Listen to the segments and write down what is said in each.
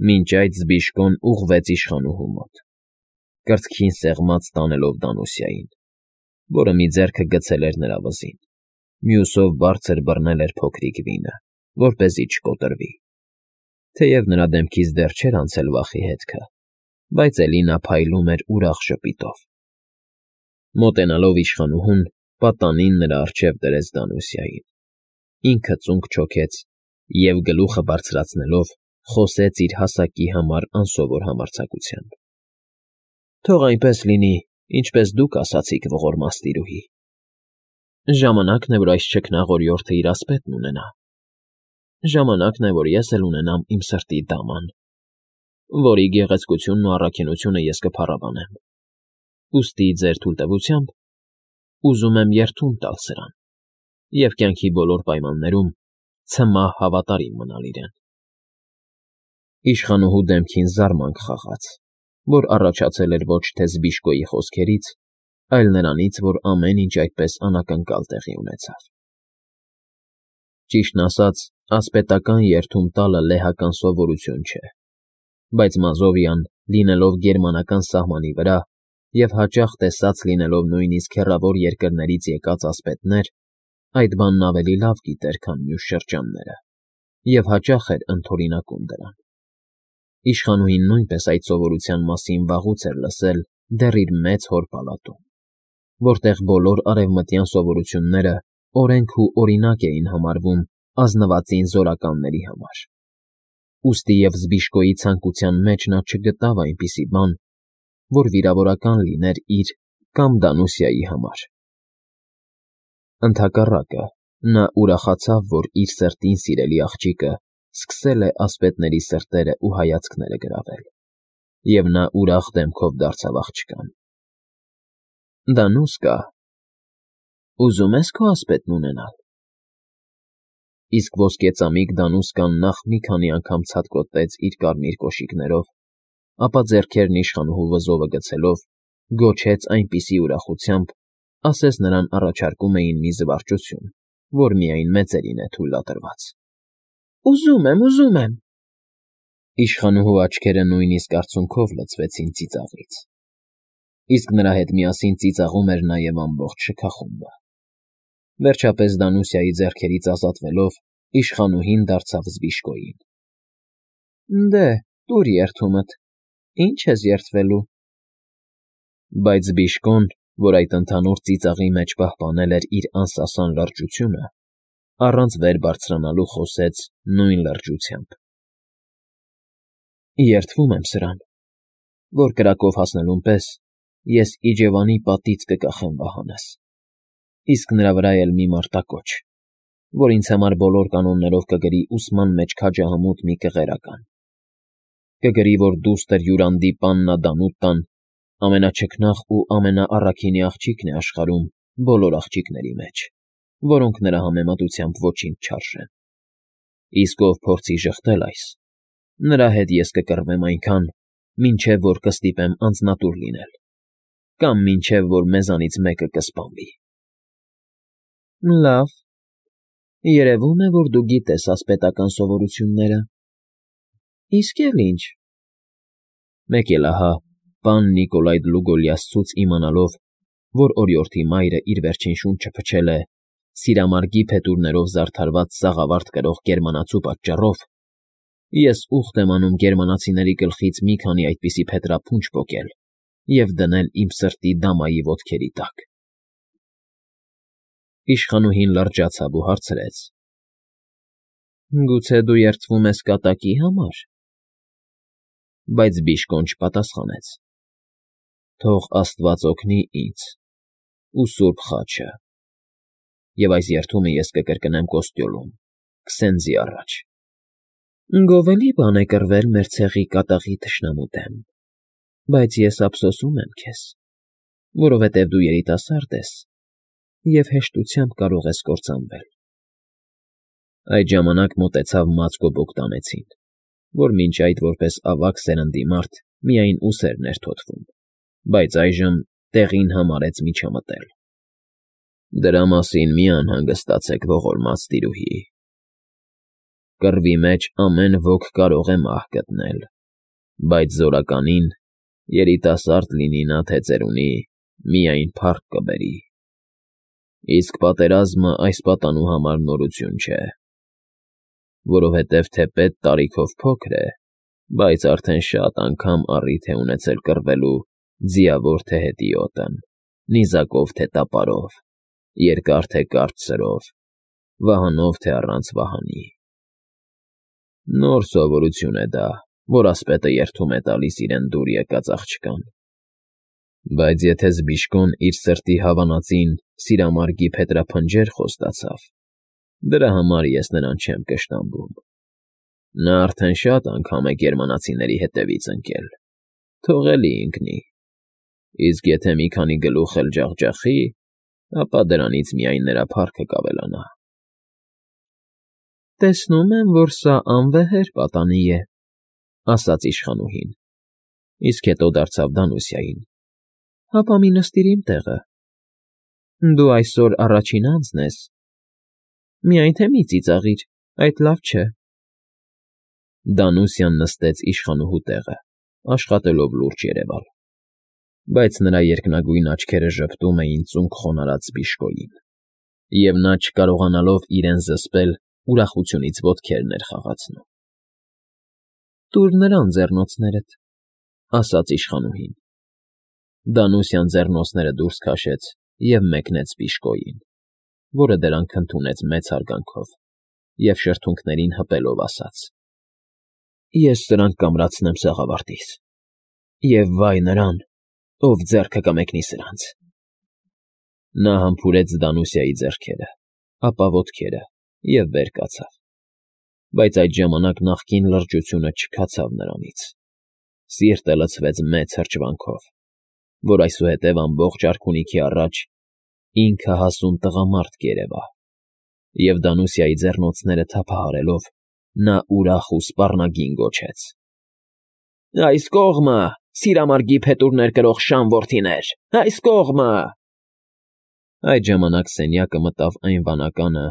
Մինչ այդ Զբիշկոն ուղղվեց իշխանուհու մոտ, կրծքին սեղմած տանելով Դանուսիային, որը մի ձեռքը գցել էր նրա վզին, մյուսով բարձր բռնել էր փոքրիկ վինը, որպեսզի չկոտրվի, թեև նրա դեմքից դեռ չէր անցել վախի հետքը, բայց էլի նա փայլում էր ուրախ ժպիտով։ Մոտենալով իշխանուհուն, պատանին նրա առջև դրեց Դանուսիային, ինքը ծունկ չոքեց և, գլուխը բարձրացնելով, խոսեց իր հասակի համար անսովոր համարձակությամբ. «Թող այնպես լինի, ինչպես դուք ասացիք, ողորմած տիրուհի. ժամանակն է, որ այս չքնաղ օրիորդը իր ասպետն ունենա, ժամանակն է, որ ես էլ ունենամ իմ սրտի դաման, որի գեղեցկությունն ու առաքինությունը ես կփառաբանեմ, ուստի ձեր թույլտվությամբ ուզում եմ երդում տալ սրան և կյանքի բոլոր պայմաններում ցմահ հավատարիմ մնալ իրեն»։ Իշխանուհու դեմքին զարմանք խաղաց, որ առաջացել էր ոչ թե Զբիշկոյի խոսքերից, այլ նրանից, որ ամեն ինչ այդպես անակնկալ տեղի ունեցավ։ Ճիշտն ասած, ասպետական երդում տալը լեհական սովորություն չէ, բայց Մազովիան, լինելով գերմանական սահմանի վրա և հաճախ տեսած լինելով նույնիսկ հեռավոր երկրներից եկած ասպետներ, այդ բանն ավելի լավ գիտեր, քան մյուս շրջանները, և հաճախ էր ընդօրինակում դրան։ Իշխանուհին նույնպես այդ սովորության մասին վաղուց էր լսել դեռ իր մեծ հոր պալատում, որտեղ բոլոր արևմտյան սովորությունները օրենք ու օրինակ էին համարվում ազնվածին զորականների համար։ Ուստի և Զբիշկոյի ցանկության մեջ նա չգտավ այնպիսի բան, որ վիրավորական լիներ իր կամ Դանուսիայի համար։ Ընդհակառակը, նա ուրախացավ, որ իր սրտին սիրելի աղջիկը սկսել է ասպետների սրտերը ու հայացքները գրավել, և նա ուրախ դեմքով դարձավ աղջկան. «Դանուսկա, ուզում ես քո ասպետն ունենալ»։ Իսկ ոսկեծամիկ Դանուսկան նախ մի քանի անգամ ցատկոտեց իր կարմիր կոշիկներով, ապա ձեռքերն իշխանուհու վզովը գցելով, գոչեց այնպիսի ուրախությամբ, ասես նրան առաջարկում էին մի զվարճություն, որ միայն մեծերին է թույլատրված։ «Ուզում եմ»։ Իշխանուհու աչքերը նույնիսկ արցունքով լցվեցին ծիծաղից, իսկ նրա հետ միասին ծիծաղում էր նաև ամբողջ շքախումբը։ Վերջապես Դանուսիայի ձեռքերից ազատվելով, իշխանուհին դարձավ Զբիշկոյին. «Դե, տուր երդումդ, ինչ ես երդվելու»։ Բայց Զբիշկոն, որ այդ ընդհանուր ծիծաղի մեջ պահպանել էր իր անսասան լրջությունը, առանց վեր բարձրանալու խոսեց նույն լրջությամբ. «Երդվում եմ սրան, որ կրակով հասնելուն պես ես իջևանի պատից կկախեմ վահանս, իսկ նրա վրա էլ մի մարտակոչ, որ ինձ համար բոլոր կանոններով կգրի ուսման մեջ քաջահամուտ մի կղերական, կգրի, որ դուստր յուրանդի պաննա Դանուտան ամենաչքնաղ ու ամենաառաքինի աղջիկն է աշխարհում բոլոր աղջիկների մեջ, որոնք նրա համեմատությամբ ոչինչ չարժեն, իսկ ով փորձի ժխտել այս, նրա հետ ես կկռվեմ այնքան, մինչև որ կստիպեմ անձնատուր լինել, կամ մինչև որ մեզանից մեկը կսպանվի»։ «Լավ, երևում է, որ դու գիտես ասպետական սովորությունները։ Իսկ էլ ինչ»։ Մեկ էլ ահա, պան Նիկոլայ Դլուգոլիասցուց իմանալով, որ օրիորդի մայրը իր վերջին շունչը փչել է սիրամարգի փետուրներով զարդարված սաղավարտ կրող գերմանացու պատճառով, ես ուխտ եմ անում գերմանացիների գլխից մի քանի այդպիսի փետրափունջ պոկել և դնել իմ սրտի դամայի ոտքերի տակ։ Իշխանուհին լրջացավ ու հարցրեց. «Գուցե դու երդվում ես կատակի համար»։ Բայց Զբիշկոն չպատասխանեց։ «Թող աստված օգնի ինձ ու սուրբ խաչը, և այս երդումը ես կկրկնեմ Կոստյոլում, քսենզի առաջ։ Գովելի բան է կռվել մեր ցեղի կատաղի թշնամու դեմ, բայց ես ափսոսում եմ քեզ, որովհետև դու երիտասարդ ես և հեշտությամբ կարող ես կործանվել»։ Այդ ժամանակ մոտեցավ Մածկո Բոգդանեցին, որ մինչ այդ որպես ավագ սերնդի մարդ միայն ուսերն էր թոթվում, բայց այժմ տեղին համարեց միջամտել։ «Դրա մասին մի անհանգստացեք, ողորմած տիրուհի, Կռվի մեջ ամեն ոք կարող է մահ գտնել, բայց զորականին, երիտասարդ լինի նա թե ծերունի, միայն փառք կբերի։ Իսկ պատերազմը այս պատանու համար նորություն չէ, որովհետև թեպետ տարիքով փոքր է, բայց արդեն շատ անգամ առիթ է ունեցել կռվելու ձիավոր թե հետիոտն, նիզակով թե տապարով, երկար թե կարճ սրով, վահանով թե առանց վահանի։ Նոր սովորություն է դա, որ ասպետը երդում է տալիս իրեն դուր եկած աղջկան։ Բայց եթե Զբիշկոն իր սրտի հավանածին սիրամարգի փետրափնջեր խոստացավ, դրա համար ես նրան չեմ կշտամբում։ Նա արդեն շատ անգամ է գերմանացիների հետևից ընկել, թողելի ընկնի, իսկ եթե մի քանի գլուխ էլ ջախջախի, ապա դրանից միայն նրա փառքը կավելանա։ Տեսնում եմ, որ սա անվեհեր պատանի է, ասաց իշխանուհին, իսկ հետո դարձավ Դանուսիային. հապա մի նստիր իմ տեղը, դու այսօր առաջին անձն ես, միայն թե մի ծիծաղիր, այդ լավ չէ։ Դանուսիան նստեց իշխանուհու տեղը, աշխատելով լուրջ երևալ, բայց նրա երկնագույն աչքերը ժպտում էին ծունկ խոնարհած Զբիշկոյին, և նա, չկարողանալով իրեն զսպել, ուրախությունից ոտքերն էր խաղացնում։ Տուր նրան ձեռնոցներդ, ասաց իշխանուհին։ Դանուսյան ձեռնոցները դուրս քաշեց և մեկնեց Զբիշկոյին, որը դրանք ընդունեց մեծ հարգանքով և շրթունքներին հպելով ասաց. Ես սրանք կամրացնեմ սաղավարտիս, և վայ նրան, ով ձեռքը կմեկնի սրանց։ Նա համբուրեց Դանուսիայի ձեռքերը, ապա ոտքերը և վեր կացավ, բայց այդ ժամանակ նախկին լրջությունը չքացավ նրանից, սիրտը լցվեց մեծ հրճվանքով, որ այսուհետև ամբողջ արքունիքի առաջ ինքը հասուն տղամարդ կերևա, և Դանուսիայի ձեռնոցները թափահարելով, նա ուրախ ու սպառնագին գոչեց. Այս կողմը, սիրամարգի փետուրներ կրող շան որդիներ, այս կողմը… Այդ ժամանակ սենյակը մտավ այն վանականը,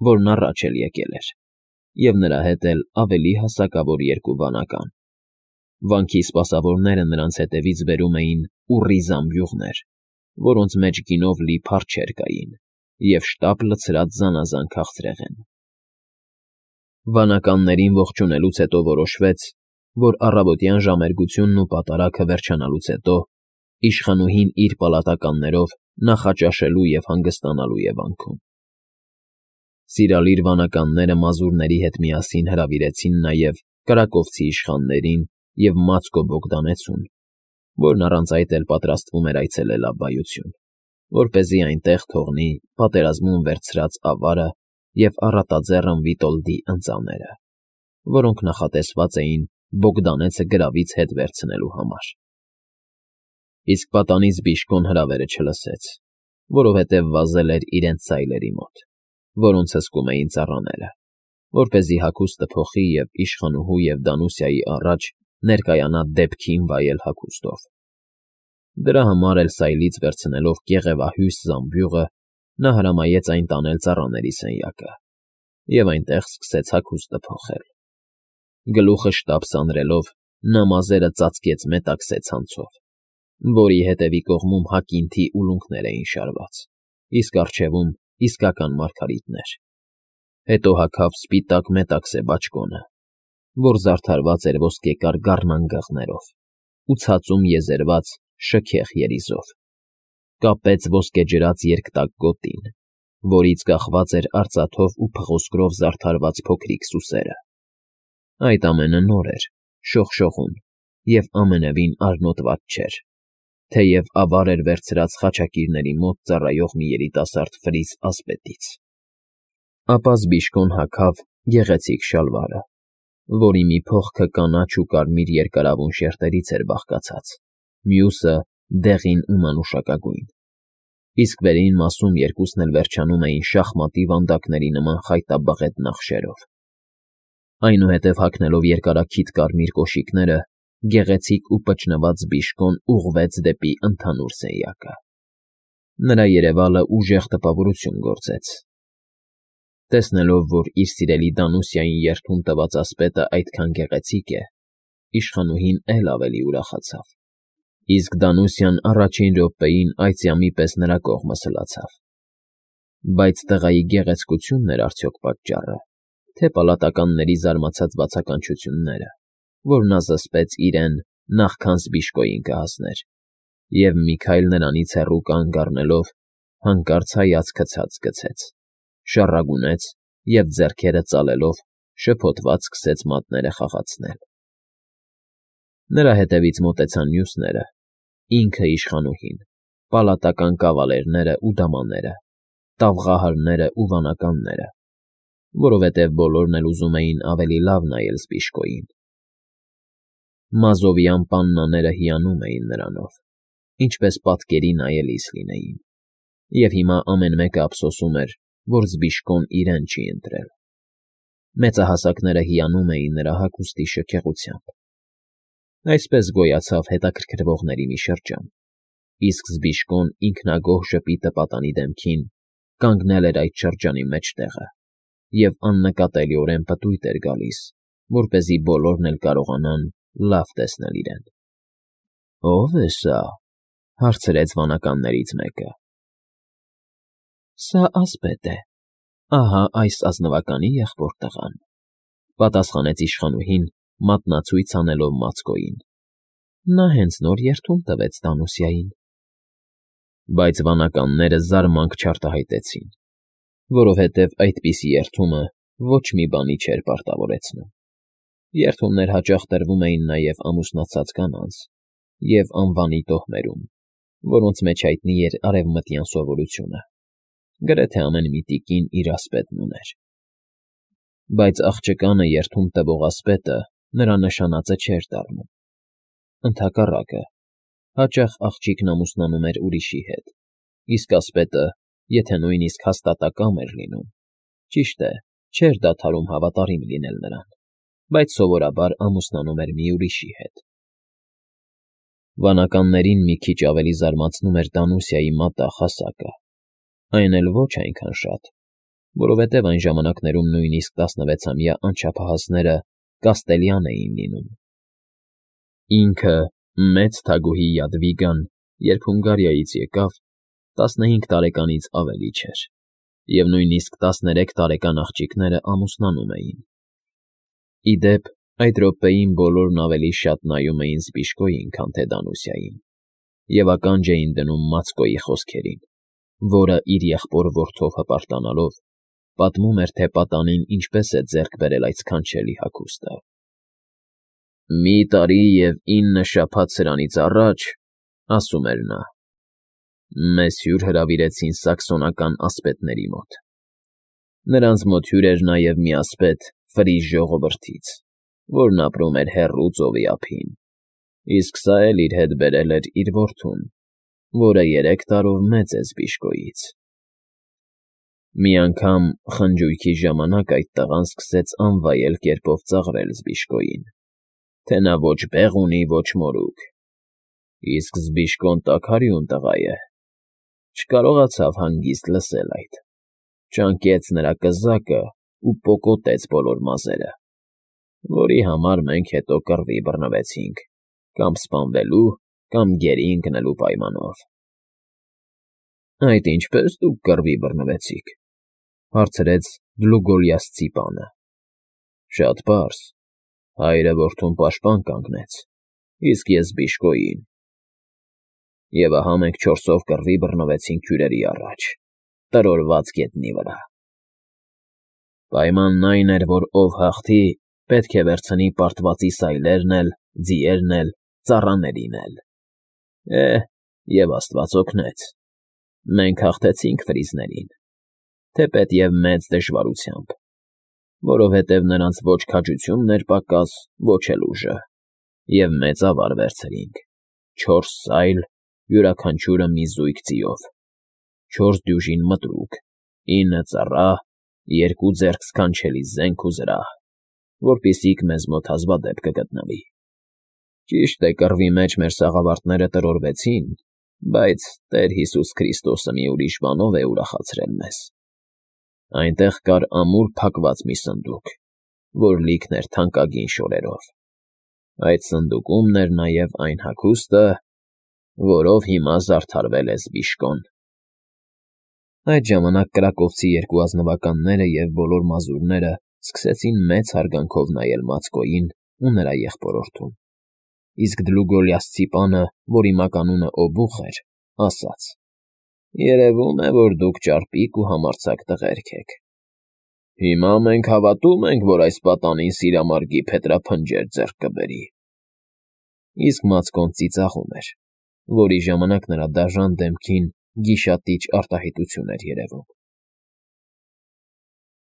որն առաջ էլ եկել էր, և նրա հետ էլ ավելի հասակավոր երկու վանական։ Վանքի սպասավորները նրանց հետևից բերում էին ուռի զամբյուղներ, որոնց մեջ գինով լի փարչեր կային և շտապ լցրած զանազան քաղցրեղեն։ Վանականներին ողջունելուց հետո որոշվեց, որ առավոտյան ժամերգությունն ու պատարագը վերջանալուց հետո իշխանուհին իր պալատականներով նախաճաշելու և հանգստանալու է վանքում։ Սիրալիր վանականները մազուրների հետ միասին հրավիրեցին նաև կրակովցի իշխաններին և Մացկո Բոգդանեցուն, որն առանց այդ էլ պատրաստվում էր այցելել Աբբայություն, որպեսզի այնտեղ թողնի պատերազմում վերցրած ավարը և առատաձեռն Վիտոլդի ընծաները, որոնք նախատեսված էին Բոգդանեցը գրավից հետ վերցնելու համար։ Իսկ պատանի Զբիշկոն հրավերը չլսեց, որովհետև վազել էր իրենց սայլերի մոտ, որոնց հսկում էին ծառաները, որպեսզի հագուստը փոխի և իշխանուհու և Դանուսիայի առաջ ներկայանա դեպքին վայել հագուստով։ Դրա համար էլ սայլից վերցնելով կեղևահյուստ զամբյուղը, նա հրամայեց այն տանել ծառաների սենյակը և այնտեղ սկսեց հագուստը փոխել։ Գլուխը շտապ սանրելով, նա մազերը ծածկեց մետաքսե ցանցով, որի հետևի կողմում հակինթի ուլունքներ էին շարված, իսկ առջևում իսկական մարգարիտներ։ Հետո հագավ սպիտակ մետաքսե բաճկոնը, որ զարդարված էր ոսկեկար գառնանգղներով ու ցածում եզերված շքեղ երիզով, կապեց ոսկեջրած երկտակ գոտին, որից կախված էր արծաթով ու փղոսկրով զարդարված փոքրիկ սուսերը։ Այդ ամենը նոր էր, շողշողուն և ամենևին արնոտված չէր, թեև ավար էր վերցրած խաչակիրների մոտ ծառայող մի երիտասարդ ֆրիզ ասպետից։ Ապա Զբիշկոն հագավ գեղեցիկ շալվարը, որի մի փողքը կանաչ ու կարմիր երկարավուն շերտերից էր բաղկացած, մյուսը՝ դեղին ու մանուշակագույն, իսկ վերին մասում երկուսն էլ վերջանում էին շախմատի վանդակների նման խայտաբղետ նախշերով։ Այնուհետև հագնելով երկարաքիթ կարմիր կոշիկները, գեղեցիկ ու պճնված Զբիշկոն ուղղվեց դեպի ընդհանուր սենյակը։ Նրա երևալը ուժեղ տպավորություն գործեց։ Տեսնելով, որ իր սիրելի Դանուսիային երդում տված ասպետը այդքան գեղեցիկ է, իշխանուհին էլ ավելի ուրախացավ, իսկ Դանուսիան առաջին րոպեին այծյամի պես նրա կողմը սլացավ։ Բայց տղայի գեղեցկությունն էր արդյոք պատճառը, թե պալատականների զարմացած բացականչությունները, որ նա զսպեց իրեն նախքան Զբիշկոյին կհասներ, և մի քայլ նրանից հեռու կանգ առնելով, հանկարծ հայացքը ցած գցեց, շառագունեց և ձեռքերը ծալելով շփոթված սկսեց մատները խաղացնել։ Նրա հետևից մոտեցան մյուսները, ինքը իշխանուհին, պալատական կավալերները ու դամաները, տաղղահարներն ու վանականները, որովհետև բոլորն էլ ուզում էին ավելի լավ նայել Զբիշկոյին։ Մազովյան պաննաները հիանում էին նրանով, ինչպես պատկերի նայելիս լինեին, և հիմա ամեն մեկը ափսոսում էր, որ Զբիշկոն իրեն չի ընտրել։ Մեծահասակները հիանում էին նրա հագուստի շքեղությամբ։ Այսպես գոյացավ հետաքրքրվողների մի շրջան, իսկ Զբիշկոն ինքնագոհ ժպիտը պատանի դեմքին կանգնել էր այդ շրջանի մեջտեղը և աննկատելիորեն պտույտ էր գալիս, որպեսզի բոլորն էլ կարողանան լավ տեսնել իրեն։ ո՞վ է սա,֊ հարցրեց վանականներից մեկը։ Սա ասպետ է, ահա այս ազնվականի եղբոր տղան,֊ պատասխանեց իշխանուհին, մատնացույց անելով Մացկոյին։ Նա հենց նոր երդում տվեց Դանուսիային։ Բայց վանականները զարմանք չարտահայտեցին, որովհետև այդպիսի երդումը ոչ մի բանի չէր պարտավորեցնում։ Երդումներ հաճախ տրվում էին նաև ամուսնացած կանանց և անվանի տոհմերում, որոնց մեջ հայտնի էր արևմտյան սովորությունը։ Գրեթե ամեն մի տիկին իր ասպետն ուներ։ Բայց աղջկանը երդում տվող ասպետը նրա նշանածը չէր դառնում։ Ընդհակառակը, հաճախ աղջիկն ամուսնանում էր ուրիշի հետ, իսկ ասպետը, եթե նույնիսկ հաստատակամ էր լինում, ճիշտ է, չէր դադարում հավատարիմ լինել նրան, բայց սովորաբար ամուսնանում էր մի ուրիշի հետ։ Վանականներին մի քիչ ավելի զարմացնում էր Դանուսիայի մատաղ հասակը, այն էլ ոչ այնքան շատ, որովհետև այն ժամանակներում նույնիսկ 16-ամյա անչափահասները կաստելյան էին լինում։ Ինքը, մեծ թագուհի Յադվիգան, երբ Հունգարիայից եկավ, 15 տարեկանից ավելի չէր, և նույնիսկ 13 տարեկան աղջիկները ամուսնանում էին։ Ի դեպ, այդ րոպեին բոլորն ավելի շատ նայում էին Զբիշկոյին, քան թե Դանուսիային, և ականջ էին դնում Մացկոյի խոսքերին, որը իր եղբոր որդով հպարտանալով պատմում էր, թե պատանին ինչպես է ձեռք բերել այդ սքանչելի հագուստը։ «Մի տարի և 9 շաբաթ սրանից առաջ,֊ ասում էր նա,֊ մեզ հյուր հրավիրեցին սաքսոնական ասպետների մոտ։ Նրանց մոտ հյուր էր նաև մի ասպետ Ֆրիս ժողովրդից, որն ապրում էր հեռու ծովի ափին, իսկ սա էլ իր հետ բերել էր իր որդուն, որը 3 տարով մեծ է Զբիշկոյից։ Մի անգամ խնջույքի ժամանակ այդ տղան սկսեց անվայել կերպով ծաղրել Զբիշկոյին, թե նա ոչ բեղ ունի, ոչ մորուք, իսկ Զբիշկոն տաքարյուն տղա է, չկարողացավ հանգիստ լսել այդ, ճանկեց նրա կզակն ու պոկոտեց բոլոր մազերը, որի համար մենք հետո կռվի բռնվեցինք, կամ սպանվելու, կամ գերի ընկնելու պայմանով։ ֊ Այդ ինչպե՞ս դուք կռվի բռնվեցիք,֊ հարցրեց Դլուգոլիասցի պանը։ ֊ Շատ պարզ. հայրը որդուն պաշտպան կանգնեց, իսկ ես Զբիշկոյին։ Եվ ահա մենք 4-ով կռվի բռնվեցինք հյուրերի առաջ, տրորված գետնի վրա։ Պայմանն այն էր, որ ով հաղթի, պետք է վերցնի պարտվածի սայլերն էլ, ձիերն էլ, ծառաներին էլ։ Եվ Աստված օգնեց. մենք հաղթեցինք ֆրիզներին, թեպետև մեծ դժվարությամբ, որովհետև նրանց ոչ քաջությունն էր պակաս, ոչ էլ ուժը, և մեծ ավար վերցրինք, 4 սայլ, յուրաքանչյուրը մի զույգ ձիով, 4 դյուժին մտրուկ, 9 ծառա, 2 ձեռք սքանչելի զենք ու զրահ, որպեսզիք մեզ մոտ հազվադեպ կգտնվի։ Ճիշտ է, կռվի մեջ մեր սաղավարտները տրորվեցին, բայց Տեր Հիսուս Քրիստոսը մի ուրիշ բանով է ուրախացրել մեզ։ Այնտեղ կար ամուր փակված մի սնդուկ, որ լիքն էր թանկագին շորերով. այդ սնդուկումն էր նաև այն հագուստը, որով հիմա զարդարվել է Զբիշկոն։ Այդ ժամանակ կրակովցի երկու ազնվականները և բոլոր մազուրները սկսեցին մեծ հարգանքով նայել Մացկոյին ու նրա եղբորորդուն, իսկ Դլուգոլիասցի պանը, որի մականունը Օբուխ էր, ասաց. «Երևում է, որ դուք ճարպիկ ու համարձակ տղերք եք։ Հիմա մենք հավատում ենք, որ այս պատանին սիրամարգի փետրափնջեր ձեռք կբերի»։ Իսկ Մացկոն ծիծաղում էր, որի ժամանակ նրա դաժան դեմքին գիշատիչ արտահայտություն էր երևում։